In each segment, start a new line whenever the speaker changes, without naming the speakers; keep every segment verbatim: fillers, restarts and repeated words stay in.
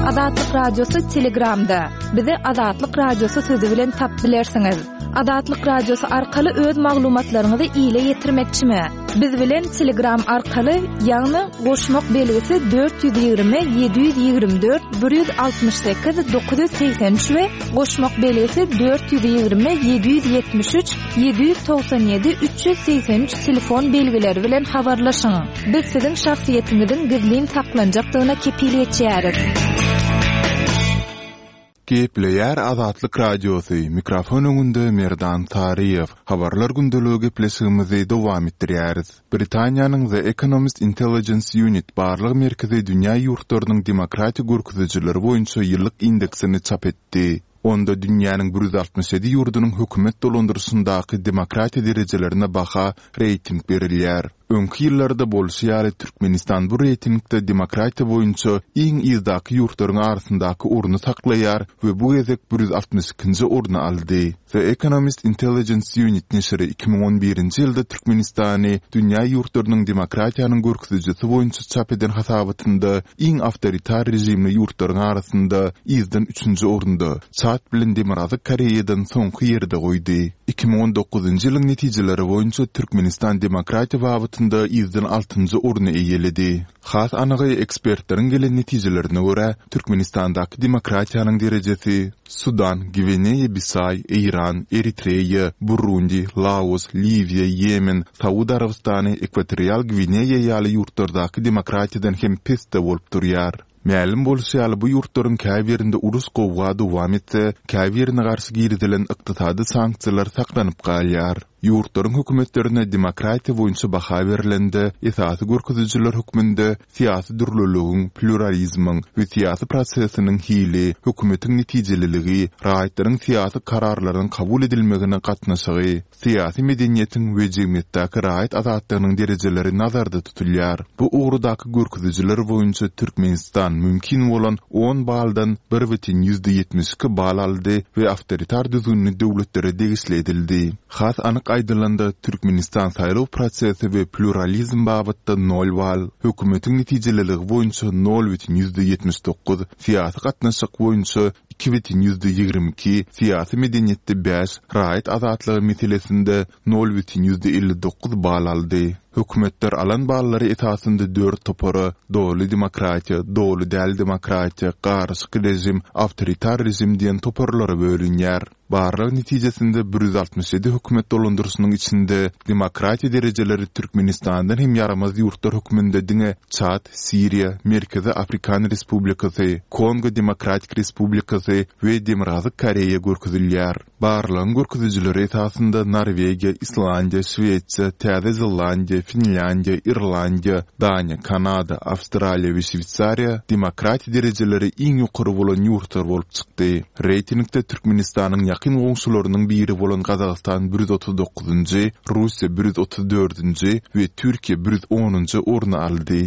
Azatlyk Radiosy Telegramda. Bizi Azatlyk Radiosy sözi bilen tapyp bilersiňiz. Azatlyk Radiosy arkaly öz maglumatlaryňyzy ile ýetirmekçimi? Biz bilen Telegram arkaly, ýagny goşmak belgisi dört ýüz ýigrimi ýedi ýüz ýigrimi dört bir ýüz altmyş sekiz dokuz ýüz segsen üç we goşmak belgisi dört ýüz ýigrimi ýedi ýüz ýetmiş üç ýedi ýüz togsan ýedi üç ýüz segsen üç telefon belgileri bilen habarlaşyň. Biz siziň şahsyýetiňiziň gizlin saklanjakdygyna kepil geçýäris.
Gepleýär Azatlyk Radiosy, mikrofon öňünde Merdan Saryýew. Habarlar gündeligi gepleşigimizi dowam etdirýäris. Britaniýanyň The Economist Intelligence Unit barlag merkezi dünýä ýurtlarynyň demokratiýa görkezijileri boýunça ýyllyk indeksini çap etdi. Onda dünýäniň bir ýüz altmyş ýedi ýurdunyň hökümet dolandyryşyndaky demokratiýa derejelerine baha, reýting berilýär. Öňki ýyllarda bolşy ýaly, Türkmenistan bu reýtingde demokratiýa boýunça iň yzdaky ýurtlaryň arasyndaky orny saklaýar we bu gezek bir ýüz altmyş ikinji orny aldy. The Economist Intelligence Unit neşiri iki müň on birinji ýylda Türkmenistany dünýä ýurtlarynyň demokratiýanyň görkezijisi boýunça çap eden hasabatynda iň awtoritar režimli ýurtlaryň arasynda yzdan üçünji orunda, Çad bilen Demirgazyk Koreýadan soňky ýerde goýdy. Iki müň on dokuzynjy ýylyň netijeleri boýunça Türkmenistan demokratiýa babatynda yzdan altynjy orny eýeledi. Has anygy, ekspertleriň gelen netijelerine görä, Türkmenistandaky demokratiýanyň derejesi Sudan, Gwineýa-Bisaý, Eýran, Eritreýa, Burundi, Laos, Liwiýa, Ýemen, Saud Arabystany, Ekwatorial Gwineýa ýaly ýurtlardaky demokratiýadan hem pesde bolup durýar. Mälim bolşy ýaly, bu ýurtlaryň käbirinde uruş-gowga dowam etse, käbirine garşy girizilen ykdysady sanksiýalar saklanyp galýar. Ýurtlaryň hökümetlerine demokratiýa boýunça baha berlende, esasy görkezijiler hökmünde syýasy dürlüligiň, plýuralizmiň we syýasy prosesiniň hili, hökümetiň netijeliligi, raýatlaryň syýasy kararlaryň kabul edilmegine gatnaşygy, syýasy medeniýetiň we jemgyýetdäki raýat azatlygynyň derejeleri nazarda tutulýar. Bu ugurdaky görkezijiler boýunça Türkmenistan mümkin bolan on baldan bir bütin ýüzde ýetmiş iki bal aldy we awtoritar düzgünli döwletlere degişli edildi. Has anyk aýdylanda, Türkmenistan saýlaw prosesi we plýuralizm babatda nol bal, hökümetiň netijeliligi boýunça nol bütin ýüzde ýetmiş dokuz, syýasy gatnaşyk boýunça iki bütin ýüzde ýigrimi iki, syýasy medeniýetde bäş, raýat azatlygy meselesinde nol bütin ýüzde elli dokuz bal aldy. Hökümetler alan ballary esasynda dört topara, doly demokratiýa, doly däl demokratiýa, garyşyk režim, awtoritar režim diýen toparlara bölünýär. Barlag netijesinde bir ýüz altmyş ýedi hökümet dolandyryşynyň içinde demokratiýa derejeleri Türkmenistandan hem ýaramaz ýurtlar hökmünde diňe Çad, Siriýa, Merkezi Afrikan Respublikasy, Kongo Demokratik Respublikasy we Demirgazyk Koreýa görkezilýär. Barlagyň görkezijileri esasynda Norwegiýa, Islandiýa, Şwesiýa, Täze Zelandiýa, Finlýandiýa, Irlandiýa, Daniýa, Kanada, Awstraliýa we Şweýsariýa demokratiýa derejeleri iň ýokary bolan ýurtlar bolup çykdy. Reýtingde Türkmenistanyň ýakyn goňşularynyň biri bolan Gazagystan bir ýüz otuz dokuzynjy, Russiýa bir ýüz otuz dördünji we Türkiýe bir ýüz onunjy orny aldy.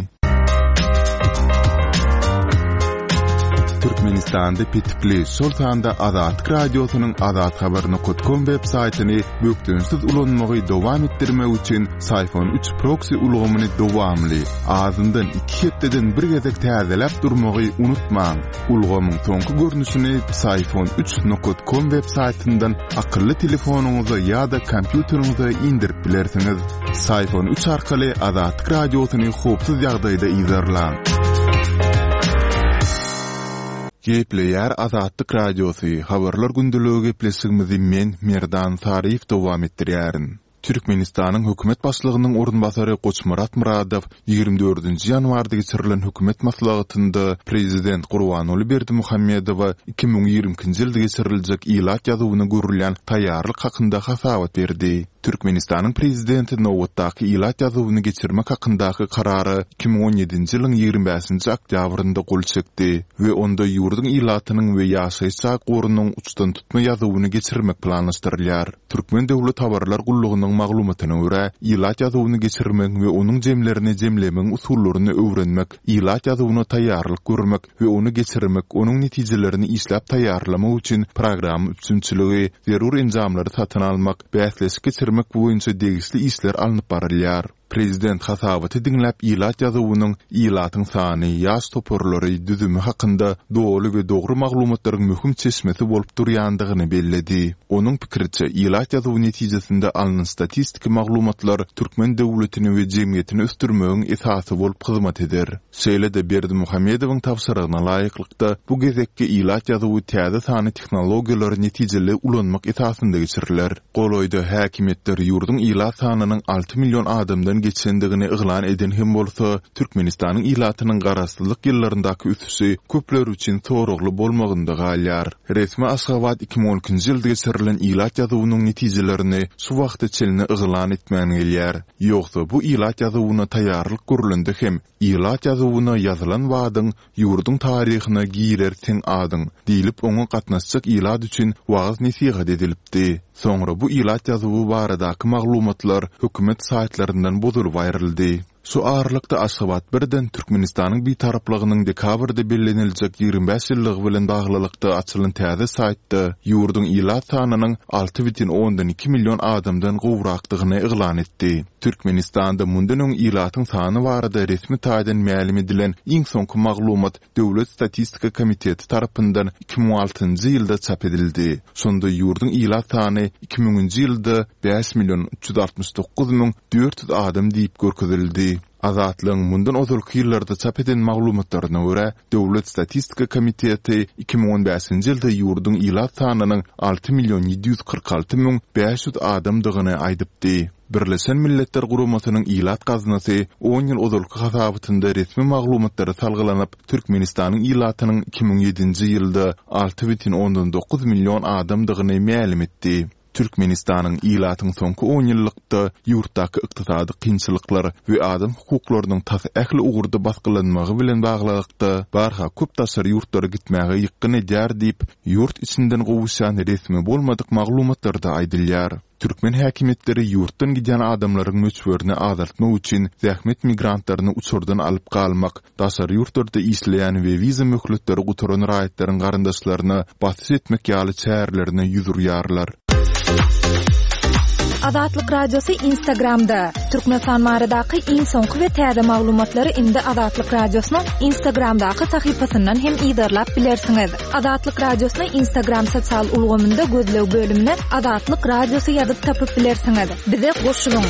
Türkmenistanda petikli, şol sanda Azatlyk Radiosynyň azathabar nokat kom web saýtyny bökdençsiz ulanmagy dowam etdirmek üçin Syfon üç proksi ulgamyny dowamly, azyndan iki hepdeden bir gezek täzeläp durmagy unutmaň. Ulgamyň soňky görnüşini Syfon üç nokat kom web saýtyndan akylly telefonyňyza ýa-da kompýuteriňize indirip bilersiňiz. Syfon üç arkaly Azatlyk Radiosyny howpsuz ýagdaýda yzarlaň. Gepleýär Azatlyk Radiosy, Habarlar gündeligi gepleşigimizi men, Merdan Saryýew dowam etdirýärin. Türkmenistanyň hökümet başlygynyň orunbasary Goçmyrat Myradow ýigrimi dördünji ýanwarda geçirilen hökümet maslahatynda prezident Gurbanguly Berdimuhamedowa iki müň ýigrimi ikinji ýylda geçiriljek ilat ýazuwyna görülýän taýýarlyk hakynda hasabat berdi. Türkmenistanyň prezidenti nobatdaky ilat ýazuwyny geçirmek hakyndaky karara iki müň on ýedinji ýylyň ýigrimi bäşinji oktýabrynda gol çekdi we onda ýurduň ilatynyň we ýaşaýyş jaý gorunyň uçdantutma ýazuwyny geçirmek planlaşdyrylýar. Türkmen döwlet habarlar gullugynyň maglumatyna görä, ilat ýazuwyny geçirmegiň we onuň jemlerini jemlemegiň usullaryny öwrenmek, ilat ýazuwyna taýýarlyk görmek we ony geçirmek, onuň netijelerini işläp taýýarlamak üçin programma üpjünçiligi, zerur enjamlary satyn almak, bäsleşik geçirmek boýunça degişli işler alnyp barylýar. Prezident hasabaty diňläp ilat ýazuwynyň ilatyň sany, ýaş toparlary, düzümi hakynda doly we dogry maglumatlaryň möhüm çeşmesi bolup durýandygyny belledi. Onuň pikiriçe, ilat ýazuwy netijesinde alnan statistiki maglumatlar türkmen döwletini we jemgyýetini ösdürmegiň esasy bolup hyzmat eder. Şeýle-de Berdimuhamedowyň tabşyrygyna laýyklykda, bu gezekki ilat ýazuwy täze sanly tehnologiýalary netijeli ulanmak esasynda geçiriler. Golaýda häkimiýetler ýurduň ilat sanynyň alty million adamdan geçendigini yglan eden hem bolsa, Türkmenistanyň ilatynyň garaşsyzlyk ýyllaryndaky ösüşi köpler üçin soragly bolmagynda galýar. Resmi Aşgabat iki müň on ikinji ýylda geçirilen ilat ýazuwynyň netijelerini şu wagta çenli yglan etmän gelýär. Ýogsa bu ilat ýazuwyna taýýarlyk görlende hem ilat ýazuwyna ýazylan badyň ýurduň taryhyna girer seň adyň diýlip oňa gatnaşjak ilat üçin wagyz-nesihat edilipdi. Soňra bu ilat ýazuwy baradaky maglumatlar hökümet saýtlaryndan bozulyp aýryldy. Şu aralykda Aşgabat birden Türkmenistanyň bitaraplygynyň dekabrda belleniljek ýigrimi bäş ýyllygy bilen baglylykda açylan täze saýtda ýurduň ilat sanynyň alty bütin ondan iki million adamdan gowrakdygyny yglan etdi. Türkmenistanda mundan öň ilatyň sany barada resmi taýdan mälim edilen iň soňky maglumat Döwlet statistika komiteti tarapyndan iki müň altynjy ýylda çap edildi. Şonda ýurduň ilat sany iki müňünji ýylda bäş million üç ýüz altmyş dokuz müň dört ýüz adam diýip görkezildi. Azatlygyň mundan ozalky ýyllarda çap eden maglumatlaryna görä, Döwlet statistika komiteti iki müň on bäşinji ýylda ýurduň ilat sanynyň alty million ýedi ýüz kyrk alty müň bäş ýüz adamdygyny aýdypdy. Birleşen Milletler Guramasynyň ilat gaznasy on ýyl ozalky hasabatynda resmi maglumatlara salgylanyp, Türkmenistanyň ilatynyň iki müň ýedinji ýylda alty bütin ondan dokuz million adamdygyny mälim etdi. Türkmenistanyň ilatyň soňky on ýyllykda ýurtdaky ykdysady kynçylyklar we adam hukuklarynyň tas ähli ugurda basgylanmagy bilen baglylykda barha köp daşary ýurtlara gitmäge ýykgyn edýär diýip, ýurt içinden gowuşýan resmi bolmadyk maglumatlarda aýdylýar. Türkmen häkimiýetleri ýurtdan gidýän adamlaryň möçberini azaltmak üçin zähmet migrantlaryny uçardan alyp galmak, daşary ýurtlarda işleýän we wiza möhletleri gutaran raýatlaryň garyndaşlaryna basyş etmek ýaly çärelerine ýüz urýarlar.
Azatlyk Radiosy Instagramda. Türkmenistan baradaky iň soňky we täze maglumatlary indi Azatlyk Radiosynyň Instagramdaky sahypasyndan hem yzarlap bilersiňiz. Azatlyk Radiosyny Instagram sosial ulgamynda gözleg bölümine Azatlyk Radiosy ýazyp tapyp bilersiňiz. Bize goşulyň.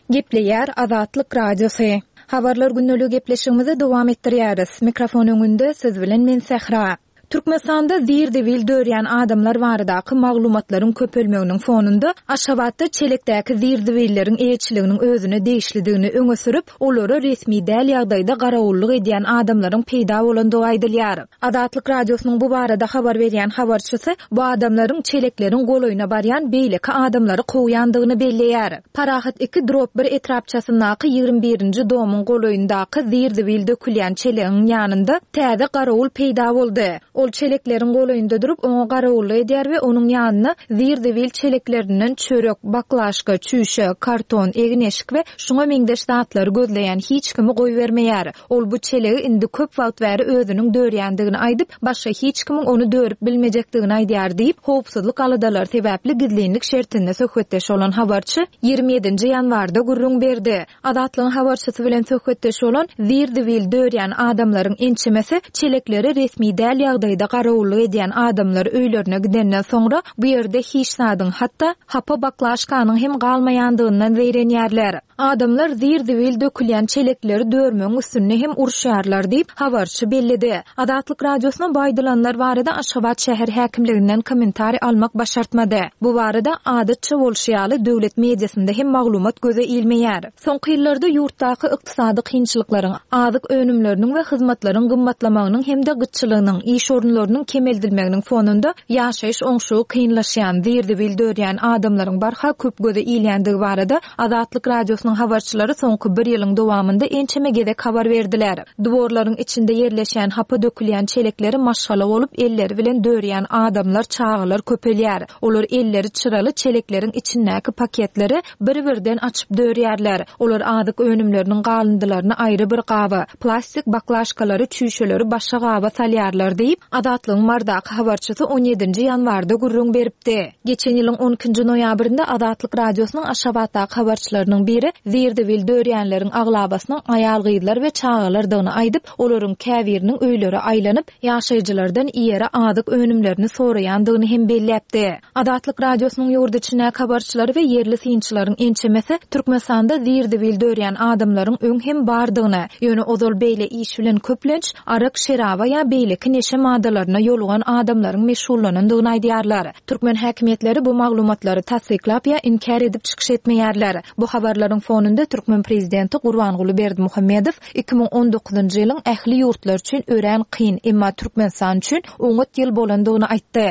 Gepleýär Azatlyk Radiosy. Habarlar gündelik gepleşigimizi dowam etdirýäris. Mikrofon öňünde siz bilen men Sähra. Türkmenistanda zir-zibil dörýän adamlar baradaky maglumatlaryň köpelmeginiň fonunda Aşgabatda çelekdäki zir-zibilleriň eýeçiliginiň özüne degişlidigini öňe sürüp, olara resmi däl ýagdaýda garawullyk edýän adamlaryň peýda bolandygy aýdylýar. Azatlyk Radiosynyň bu barada habar berýän habarçysy bu adamlaryň çelekleriň golaýyna barýan beýleki adamlary kowýandygyny belleýär. Parahat iki drop bir etrapçasyndaky ýigrimi birinji domyň golaýyndaky zir-zibil dökülýän çelegiň ýanynda täze garawul peýda boldy. Ol çelekleriň golaýynda durup, oňa garawullyk edýär we onuň ýanyna zir-zibil çeleklerinden çörek, baklaşka, çüýşe, karton, egin-eşik we şuňa meňzeş zatlary gözleýän hiç kimi goýbermeýär. Ol bu çelegi indi köp wagt bäri özüniň dörýändigini aýdyp, başga hiç kimiň ony dörüp bilmejekdigini aýdýar diýip, howpsuzlyk aladalary sebäpli gizlinlik şertinde söhbetdeş bolan habarçy ýigrimi ýedinji ýanwarda gürrüň berdi. Azatlygyň habarçysy bilen söhbetdeş bolan zir-zibil dörýän adamlaryň ençemesi çelekleri resmi däl ýagdaýda garawullyk edýän adamlar öýlerine gidenden soňra bu ýerde hiç zadyň, hatda hapa baklaşkanyň hem galmaýandygyndan zeýrenýärler. Adamlar zir-zibil dökülýän çelekleri dörmegiň üstünde hem uruşýarlar diýip, habarçy belledi. Azatlyk Radiosyna bu aýdylanlar barada Aşgabat şäher häkimliginden kommentariý almak başartmady. Bu barada adatça bolşy ýaly döwlet mediasynda hem maglumat göze ilmeýär. Soňky ýyllarda ýurtdaky ykdysady kynçylyklaryň, azyk önümleriniň we hyzmatlaryň gymmatlamagynyň hem-de gytçylygynyň, iş orunlarynyň kemeldilmeginiň fonunda ýaşaýyş oňşugy kynlaşýan, zir-zibil dörýän adamlaryň barha köp göze ilýändigi barada Azatlyk Radiosynyň habarçylary soňky bir ýylyň dowamynda ençeme gezek habar berdiler. Dworlaryň içinde ýerleşýän hapa dökülýän çelekleri maşgala bolup elleri bilen dörýän adamlar, çagalar köpelýär. Olar elleri çyraly çelekleriň içindäki paketleri bir-birden açyp dörýärler. Olar azyk önümleriniň galyndylaryny aýry bir gaba, plastik baklaşkalary, çüýşeleri başga gaba salýarlar diýip, Azatlygyň Marydaky habarçysy on ýedinji ýanwarda gürrüň beripdi. Geçen ýylyň on ikinji noýabrynda Azatlyk Radiosynyň Aşgabatdaky habarçylarynyň biri zir-zibil dörýänleriň aglabasynyň aýal-gyzlar we çagalardygyny aýdyp, olaryň käbiriniň öýlere aýlanyp, ýaşaýjylardan iýere azyk önümlerini soraýandygyny hem belläpdi. Azatlyk Radiosynyň ýurt içindäki habarçylary we ýerli synçylaryň ençemesi Türkmenistanda zir-zibil dörýän adamlaryň öň hem bardygyny, ýöne ozal beýle iş bilen köplenç arak, şeraba ýa beýleki neşe maddalaryna ýolugan adamlaryň meşgullanandygyny aýdýarlar. Türkmen häkimiýetleri bu maglumatlary tassyklap ýa inkär edip çykyş etmeýärler. Bu habarlaryň fonunda türkmen prezidenti Gurbanguly Berdimuhamedow iki müň on dokuzynjy ýylyň ähli ýurtlar üçin örän kyn, emma Türkmenistan üçin oňat ýyl bolandygyny aýtdy.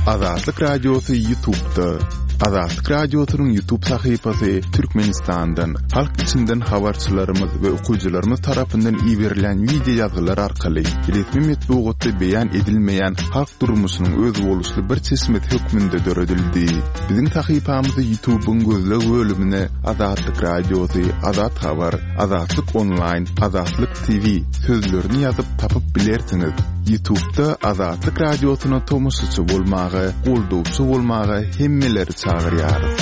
Azatlyk Radiosy YouTube'da. Azatlyk Radiosynyň YouTube sahypasy Türkmenistandan, halk içinden habarçylarymyz we okyjylarymyz tarapyndan iberilen video ýazgylar arkaly resmi metbugatda beýan edilmeýän halk durmuşynyň özboluşly bir çeşmesi hökmünde döredildi. Biziň sahypamyzy YouTube'yň gözleg bölümine Azatlyk Radiosy, Azat Habar, Azatlyk Online, Azatlyk T V sözlerini ýazyp tapyp bilersiňiz. YouTube'da Azatlyk Radiosyna tomaşaçy bolmaga, goldawçy bolmaga hemmeleri çagyrýarys.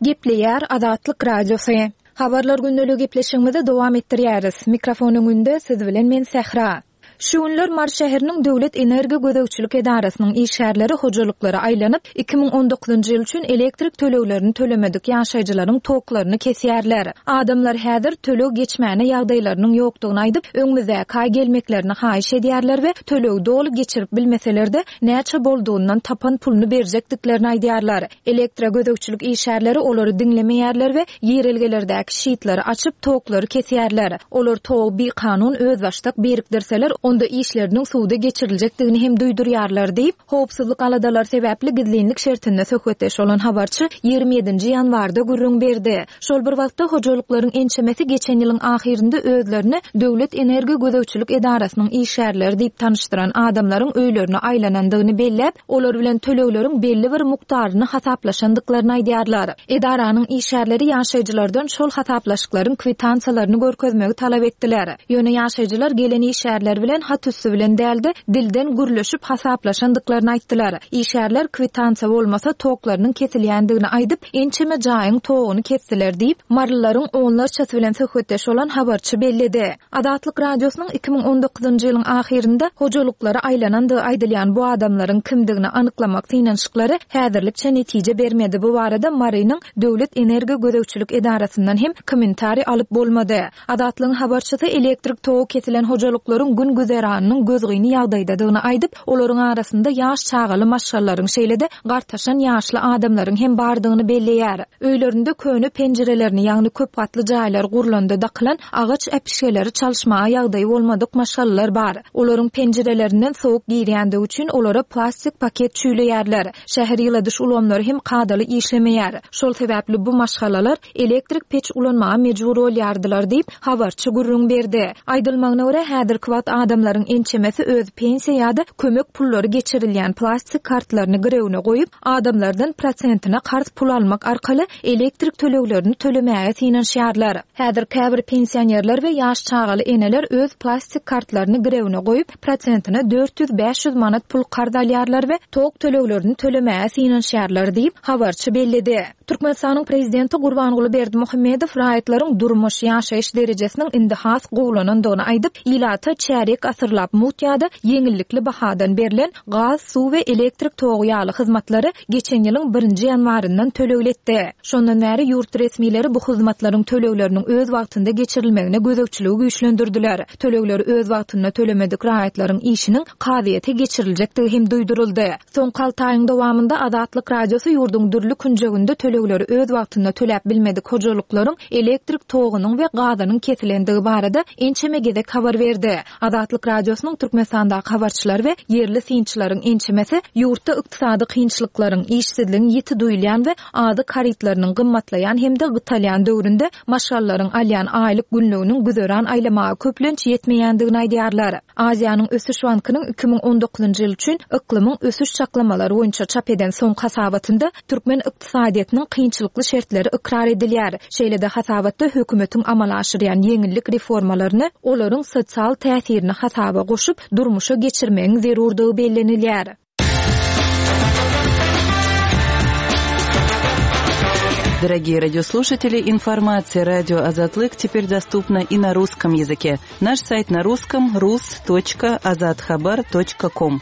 Gepleýär Azatlyk Radiosy. Habarlar gündeligi gepleşigimizi dowam etdirýäris. Mikrofon öňünde siz bilen men Sähra. Şu günler Mary şäheriniň Döwlet Energiýa Gözegçilik Edarasynyň işgärleri hojalyklara aýlanyp, iki müň on dokuzynjy ýyl üçin elektrik töleglerini tölemedik ýaşaýjylaryň toklaryny kesýärler. Adamlar häzir töleg geçmäne ýagdaýlarynyň ýokdugyny aýdyp, öňümizdäki aý gelmeklerini haýyş edýärler we tölegi doly geçirip bilmeseler-de näçe boldugyndan tapan puluny berjekdiklerini aýdýarlar. Elektro gözegçilik işgärleri olary diňlemeýärler we ýerelgelerdäki şitleri açyp toklary kesýärler. Olar togy bikanun özbaşdak birikdirseler, onda işleriniň suwda geçiriljekdigini hem duýdurýarlar diýip, howpsuzlyk aladalar sebäpli gizlinlik şertinde söhbetdeş bolan habarçy ýigrimi ýedinji ýanwarda gürrüň berdi. Şol bir wagtda hojalyklaryň ençemesi geçen ýylyň ahyrynda özlerini Döwlet Energiýa Gözegçilik Edarasynyň işgärleri diýip tanyşdyran adamlaryň öýlerine aýlanandygyny belläp, olar bilen tölegleriň belli bir mukdaryny hasaplaşandyklaryny aýdýarlar. Edaranyň işgärleri ýaşaýjylardan şol hasaplaşyklaryň kwitansiýalaryny görkezmegi talap etdiler. Ýöne ýaşaýjylar gelen işgärler bilen hat üstü bilen däldi, dilden gürleşip hasaplaşandyklaryny aýtdylar. Işgärler kwitansiýa bolmasa toklarynyň kesilýändigini aýdyp, ençeme jaýyň togyny kesdiler diýip, Marylylaryň onlarçasy bilen söhbetdeş bolan habarçy belledi. Azatlyk Radiosynyň iki müň on dokuzynjy ýylyň ahyrynda hojalyklara aýlanandygy aýdylýan bu adamlaryň kimdigini anyklamak synanyşyklary häzirlikçe netije bermedi. Bu barada Marynyň Döwlet Energiýa Gözegçilik Edarasyndan hem kommentariý alyp bolmady. Azatlygyň habarçysy elektrik togy kesilen hojalyklaryň gün güzeranynyň gözgyny ýagdaýdadygyny aýdyp, olaryň arasynda ýaş çagaly maşgalalaryň şeýle-de gartaşan ýaşly adamlaryň hem bardygyny belleýär. Öýlerinde köne penjirelerini, ýagny köp gatly jaýlar gurlanda dakylan agaç äpişgeleri çalyşmaga ýagdaýy bolmadyk maşgalalar bar. Olaryň penjirelerinden sowuk girýändigi üçin olara plastik paket çüýleýärler. Şäher ýyladyş ulgamlary hem kadaly işlemeýär. Şol sebäpli bu maşgalalar elektrik peç ulanmaga mejbur bolýardylar diýip, habarçy gürrüň berdi. Aýdylmagyna görä, häzirki wagt adamlaryň ençemesi öz pensiýa ýa-da kömek pullary geçirilýän plastik kartlaryny girewine goýup, adamlardan prosentine karz pul almak arkaly elektrik töleglerini tölemäge synanyşýarlar. Häzir käbir pensionerler we ýaş çagaly eneler öz plastik kartlaryny girewine goýup, prosentine dört ýüz bäş ýüz manat pul karz alýarlar we tok töleglerini tölemäge synanyşýarlar diýip, habarçy belledi. Türkmenistanyň prezidenti Gurbanguly Berdimuhamedow raýatlaryň durmuş, ýaşaýyş derejesiniň indi has gowulanandygyny aýdyp, ilata çärýek asyrlap mut ýa-da ýeňillikli bahadan berlen gaz, suw we elektrik togy ýaly hyzmatlary geçen ýylyň birinji ýanwaryndan tölegletdi. Şondan bäri ýurt resmileri bu hyzmatlaryň tölegleriniň öz wagtynda geçirilmegine gözegçiligi güýçlendirdiler. Tölegleri öz wagtynda tölemedik raýatlaryň işiniň kazyýete geçiriljekdigi hem duýduryldy. Soňky alty aýyň dowamynda Azatlyk Radiosy ýurduň dürli künjeginde tölegleri öz wagtynda töläp bilmedik hojalyklaryň elektrik togunyň we gazynyň kesilendigi barada ençeme gezek habar berdi. Azatlyk Azatlyk Radiosynyň Türkmenistandaky habarçylary we ýerli synçylaryň ençemesi ýurtda ykdysady kynçylyklaryň, işsizligiň ýiti duýulýan we azyk harytlarynyň gymmatlaýan hem-de gytalýan döwründe maşgalalaryň alýan aýlyk günlüginiň güzeran aýlamaga köplenç ýetmeýändigini aýdýarlar. Aziýanyň Ösüş bankynyň iki müň on dokuzynjy ýyl üçin yklymyň ösüş çaklamalary boýunça çap eden soňky hasabatynda türkmen ykdysadyýetiniň kynçylykly şertleri ykrar edilýär. Şeýle-de hasabatda hökümetiň amala aşyrýan ýeňillik reformalaryny olaryň sosial täsirini hasaba goşup durmuşa geçirmegiň zerurdygy bellenilýär.
Дорогие радиослушатели, информация радио Азатлык теперь доступна и на русском языке. Наш сайт на русском рус точка азатхабар точка ком.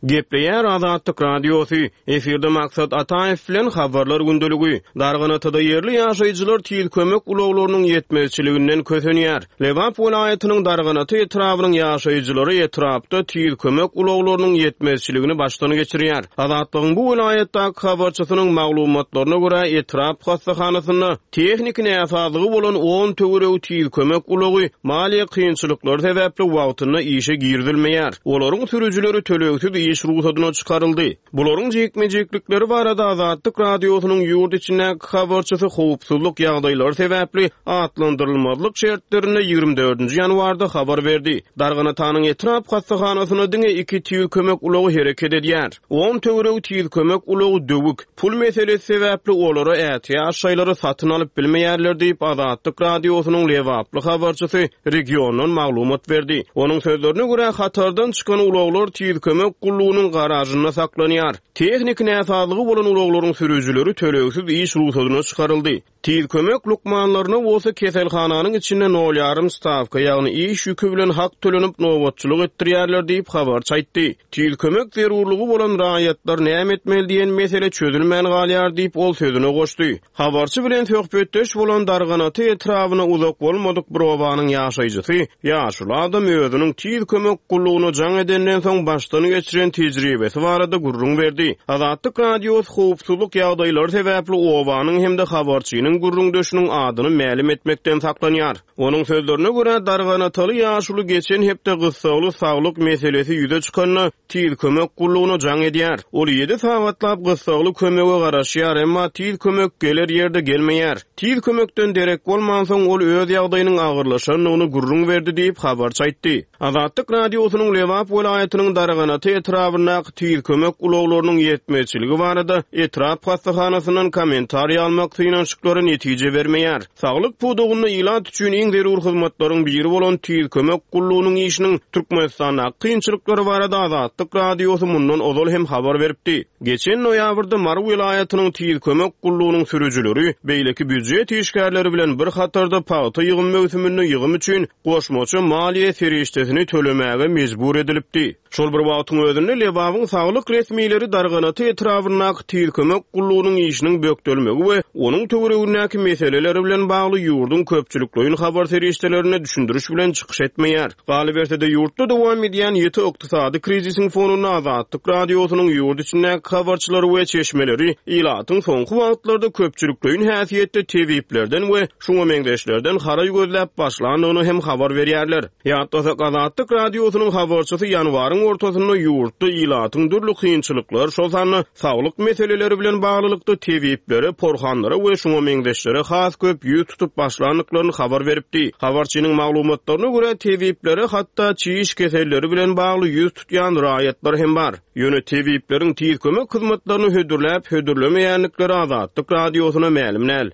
Gepleýär Azatlyk Radiosy, efirde Maksat Ataýew bilen habarlar gündeligi. Darganatada ýerli ýaşaýjylar tiz kömek ulaglarynyň ýetmezçiliginden kösenýär. Lebap welaýatynyň Darganata etrabynyň ýaşaýjylary etrapda tiz kömek ulaglarynyň ýetmezçiligini başdan geçirýär. Azatlygyň bu welaýatdaky habarçysynyň maglumatlaryna görä etrap hassahanasynda tehniki näsazlygy bolan on töweregi tiz kömek ulagy maliýe kynçylyklary sebäpli wagtynda işe girizilmeýär. Olaryň sürüjileri tölegsiz iş ruhsadyna çykaryldy. Bularyň jikme-jiklikleri barada Azatlyk Radiosynyň ýurt içindäki habarçysy howpsuzlyk ýagdaýlary sebäpli atlandyrylmazlyk şertlerinde ýigrimi dördünji ýanwarda habar berdi. Darganatanyň etrap hassahanasyna diňe iki tiz kömek ulagy hereket edýär. On töweregi tiz kömek ulagy döwük. Pul meselesi sebäpli olara ätiýaç şaýlary satyn alyp bilmeýärler diýip Azatlyk Radiosynyň Lebaply habarçysy regiondan maglumat berdi. Onuň sözlerine görä hatardan çykan ulaglar tiz kömek gullugynyň garajynda saklanýar. Tehniki näsazlygy bolan ulaglaryň sürüjileri tölegsiz iş ruhsadyna çykaryldy. Tiz kömek lukmanlaryna bolsa keselhananyň içinde nol ýarym stawka, ýagny iş ýüki bilen hak tölenip nobatçylyk etdirýärler diýip habarçy aýtdy. Tiz kömek zerurlygy bolan raýatlar näme etmeli diýen mesele çözülmän galýar diýip ol sözüne goşdy. Habarçy bilen söhbetdeş bolan Darganata etrabyna uzak bolmadyk bir obanyň ýaşaýjysy ýaşuly adam özüniň tiz kömek gullugyna jaň edenden soň başdan geçiren tejribesi barada gürrüň berdi. Azatlyk Radiosy howpsuzlyk ýagdaýlary sebäpli obanyň hem-de habarçynyň gürrüňdeşiniň adyny mälim etmekden saklanýar. Onuň sözlerine görä Darganataly ýaşuly geçen hepde gyssagly saglyk meselesi ýüze çykanda tiz kömek gullugyna jaň edýär. Ol ýedi sagatlap gyssagly kömege garaşýar, emma tiz kömek geler ýerde gelmeýär. Tiz kömekden derek bolmansoň ol öz ýagdaýynyň agyrlaşandygyny gürrüň berdi diýip habarçy aýtdy. Azatlyk Radiosynyň Lebap welaýatynyň Darganata etrabyndaky tiz kömek ulaglarynyň ýetmezçiligi barada etrap hassahanasyndan kommentariý almak synanyşyklary netije bermeýär. Saglyk pudagynda ilat üçin iň zerur hyzmatlaryň biri bolan tiz kömek gullugynyň işiniň Türkmenistandaky kynçylyklary barada Azatlyk Radiosy mundan ozal hem habar beripdi. Geçen noýabrda Mary welaýatynyň tiz kömek gullugynyň sürüjileri beýleki býujet işgärleri bilen bir hatarda pagta ýygym möwsüminde ýygym üçin goşmaça maliýe serişdesini tölemäge mejbur edilipdi. Şol bir wagtyň özünde Lebabyň saglyk resmileri Darganata etrabyndaky tiz kömek gullugynyň işiniň bökdelmegi we onuň töweregindäki meseleleri bilen bagly ýurduň köpçülikleýin habar serişdelerine düşündiriş bilen çykyş etmeýär. Galyberse-de ýurtda dowam edýän ýeti ykdysady krizisiň fonunda Azatlyk Radiosynyň ýurt içindäki habarçylary we çeşmeleri ilatyň soňky wagtlarda köpçülikleýin häsiýetde tebiplerden we şuňa meňzeşlerden haraý gözläp başlandygyny hem habar berýärler. Ýatlasak Azatlyk Radiosynyň habarçysy ýanwaryň ortasynda ýurtda ilatyň dürli kynçylyklar, şol sanda saglyk meseleleri bilen baglylykda tebiplere, porhanlara we şuňa meňzeşlere has köp ýüz tutup başlandyklaryny habar beripdi. Habarçynyň maglumatlaryna görä tebiplere hatda çiş keselleri bilen bagly ýüz tutýan raýatlar hem bar. Ýöne tebipleriň tiz kömek hyzmatlaryny hödürläp, hödürlemeýändikleri Azatlyk Radiosyna mälim däl.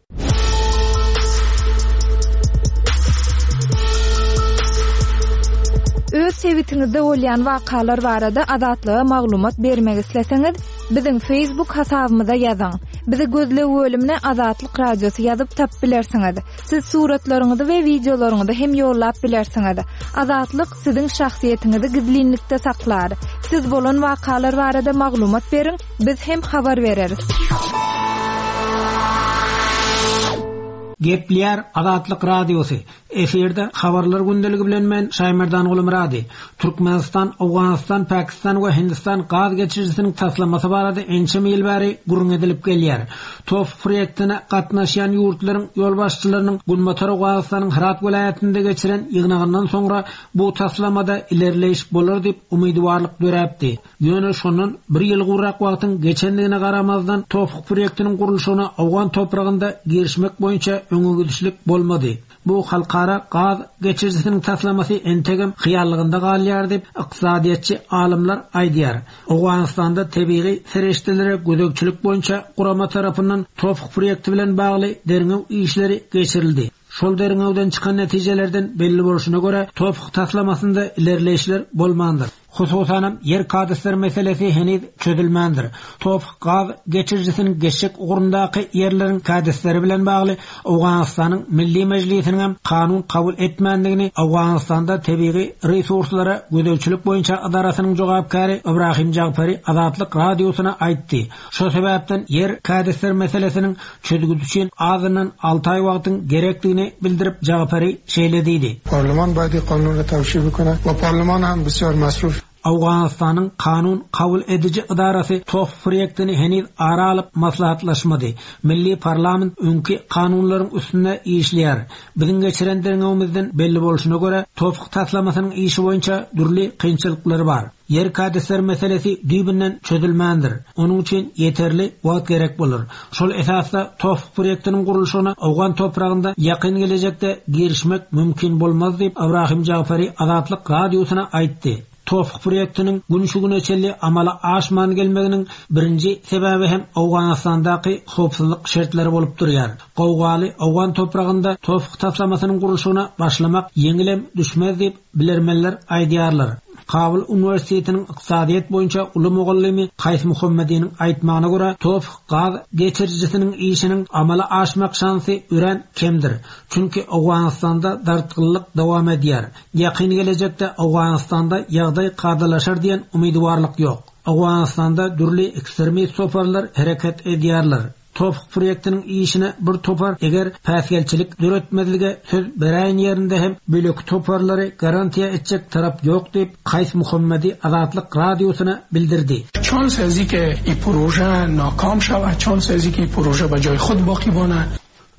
Öz sebitiňizde bolýan wakalar barada Azatlyga maglumat bermek isleseňiz, biziň Facebook hasabymyza ýazyň. Bizi gözleg bölümine Azatlyk Radiosy ýazyp tap bilersiňiz. Siz suratlaryňyzy we wideolaryňyzy hem ýollap bilersiňiz. Azatlyk siziň şahsyýetiňizi gizlinlikde saklar. Siz bolan wakalar barada maglumat beriň, biz hem habar bereris.
Gepleýär Azatlyk Radiosy. Efirde habarlar gündeligi bilen men Şaýmerdan Gulmyrady. Türkmenistan, Owganystan, Pakistan we Hindistan gaz geçirijisiniň taslamasy barada ençeme ýyl bäri gürrüň edilip gelýär. TOF proýektine gatnaşýan ýurtlaryň ýolbaşçylarynyň Günbatar Owganystanyň Hyrat welaýatynda geçiren ýygnagyndan soňra bu taslamada ilerleýiş bolar diýip umydywarlyk döräpdi. Ýöne şondan bir ýyl gowrak wagtyň geçendigine garamazdan TOF proýektiniň gurluşygyna Owgan topragynda girişmek boýunça öňe gidişlik bolmady. Bu halkara gaz geçirijisiniň taslamasy entegem hyýallygynda galýar diýip ykdysadyýetçi alymlar aýdýar. Owganystanda tebigy serişdelere gözegçilik boýunça gurama tarapyndan TOF proýekti bilen bagly derňew işleri geçirildi. Şol derňewden çykan netijelerden belli bolşuna görä TOF taslamasynda ilerleýişler bolmandyr. Hususanam ýer kadastr meselesi heniz çözülmändir. TOF gaz geçirijisiniň geçjek ugrundaky ýerleriň kadastry bilen bagly Owganystanyň Milli Mejlisiniň hem kanun kabul etmändigini Owganystanda tebigy resurslara gözegçilik boýunça edarasynyň jogapkäri Ibrahim Jagpari Azatlyk radiosyna aýtdy. Şo sebäpden ýer kadastr meselesiniň çözgüdi üçin azyndan alty aý wagtyň gerekdigini bildirip Jagpari şeýle diýdi.
Parliman باید قانون را توشیح بکنه و پارلمان هم بسیار مصروف
Owganystanyň kanun kabul ediji edarasy TOF proýektini heniz ara alyp maslahatlaşmady. Milli parlament öňki kanunlaryň üstünde işleýär. Biziň geçiren derňewimizden belli bolşuna görä TOF taslamasynyň işi boýunça dürli kynçylyklar bar. Ýer kadastr meselesi düýbünden çözülmändir. Onuň üçin ýeterli wagt gerek bolar. Şol esasda TOF proýektiniň gurluşygyna Owgan topragynda ýakyn gelejekde girişmek mümkin bolmaz diýip Ibrahim Jagfari Azatlyk radiosyna aýtdy. TOF proýektiniň gün şu güne çenli amala aşman gelmeginiň birinji sebäbi hem Owganystandaky howpsuzlyk şertleri bolup durýar. Gowgaly Owgan topragynda TOF taslamasynyň gurluşygyna başlamak ýeňilem düşmez diýip bilermenler aýdýarlar. Kabul Universitetiniň ykdysadyýet boýunça uly mugallymy Kaýs Muhammediniň aýtmagyna görä TOF gaz geçirijisiniň işiniň amala aşmak şansy örän kemdir. Çünki Owganystanda dartgynlyk dowam edýär. Ýakyn gelejekde Owganystanda ýagdaý kadalaşar diýen umydywarlyk ýok. Owganystanda dürli ekstremist toparlar hereket edýärler. TOF proýektiniň işine bir topar eger päsgelçilik döretmezlige söz beräýen ýerinde hem bölek toparlary garantiýa etjek tarap ýok diýip Kaýs Muhammedi Azatlyk radiosyna bildirdi.
چانس ازی که این پروژه ناکام شود، چانس ازی که این پروژه به جای خود باقی بانه.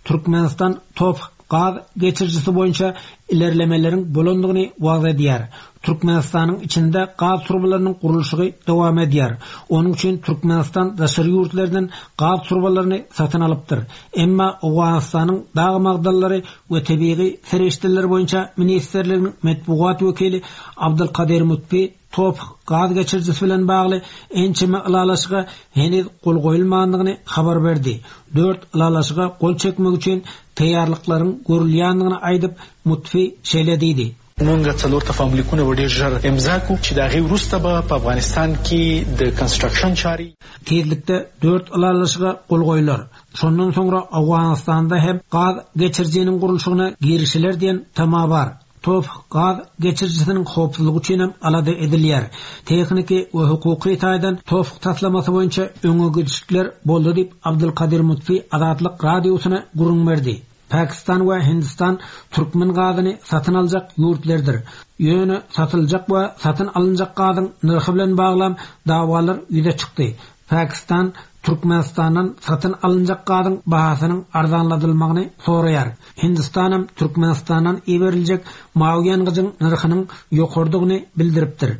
Türkmenistan TOF gaz geçirijisi boýunça ilerlemeleriň bolandygyny wagyz edýär. Türkmenistanyň içinde gaz turbalarynyň gurluşygy dowam edýär. Onuň üçin Türkmenistan daşary ýurtlardan gaz turbalaryny satyn alypdyr. Emma Owganystanyň dag magdanlary we tebigy serişdeler boýunça ministrliginiň metbugat wekili Abdulkadir Mutbi TOF gaz geçirijisi bilen bagly ençeme ylalaşyga heniz gol goýulmandygyny habar berdi. Dört ylalaşyga gol çekmek üçin taýýarlyklaryň görülýändigini aýdyp Mutfi şeýle diýdi.
مونږ څلور تفاهم لیکونه به ډېر ژر امضا کړو چې د هغې وروسته به په افغانستان کې د کنسټرکشن چارې
Tizlikde dört ylalaşyga gol goýular. Şondan soňra Owganystanda hem gaz geçirijiniň gurluşygyna girişiler diýen tama bar. TOF gaz geçirijisiniň howpsuzlygy üçin hem alada edilýär. Tehniki we hukuky taýdan TOF taslamasy boýunça öňe gidişlikler boldy diýip Abdulkadir Mutfi Azatlyk radiosyna gürrüň berdi. Pakistan we Hindistan türkmen gazyny satyn aljak ýurtlardyr. Ýöne satyljak we satyn alynjak gazyň nyrhy bilen baglan dawalar ýüze çykdy. Pakistan Türkmenistandan satyn alynjak gazyň bahasynyň arzanladylmagyny soraýar. Hindistanam Türkmenistandan iberiljek mawy ýangyjyň nyrhynyň ýokardygyny bildiripdir.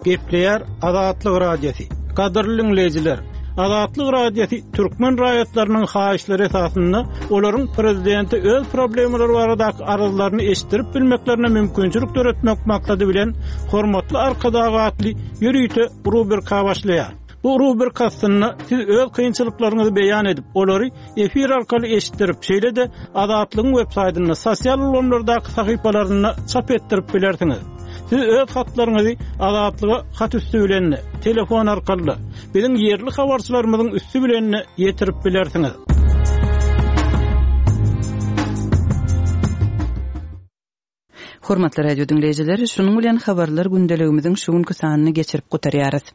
Gepleýär Azatlyk Radiosy. Gadyrly dinleýjiler, Azatlyk Radiosy türkmen raýatlarynyň haýyşlary esasynda olaryň prezidenti öz problemalary baradaky arzlaryny eşitdirip bilmeklerine mümkinçilik döretmek maksady bilen hormatly Arkadag atly ýörite rubrika başlaýar. Bu rubrika astynda siz öz kynçylyklaryňyzy beýan edip, olary efir arkaly eşitdirip, şeýle-de Azatlygyň web saýtynda, sosial ulgamlardaky sahypalarynda çap etdirip bilersiňiz. Siz öz hatlaryňyzy Azatlyga hat üstü bilen, telefon arkaly, biziň ýerli habarçylarymyzyň üstü bilen ýetirip bilersiňiz.
Hormatly radio dinleýjiler, şunuň bilen habarlar gündeligimiziň şu günki sanyny geçirip gutarýarys.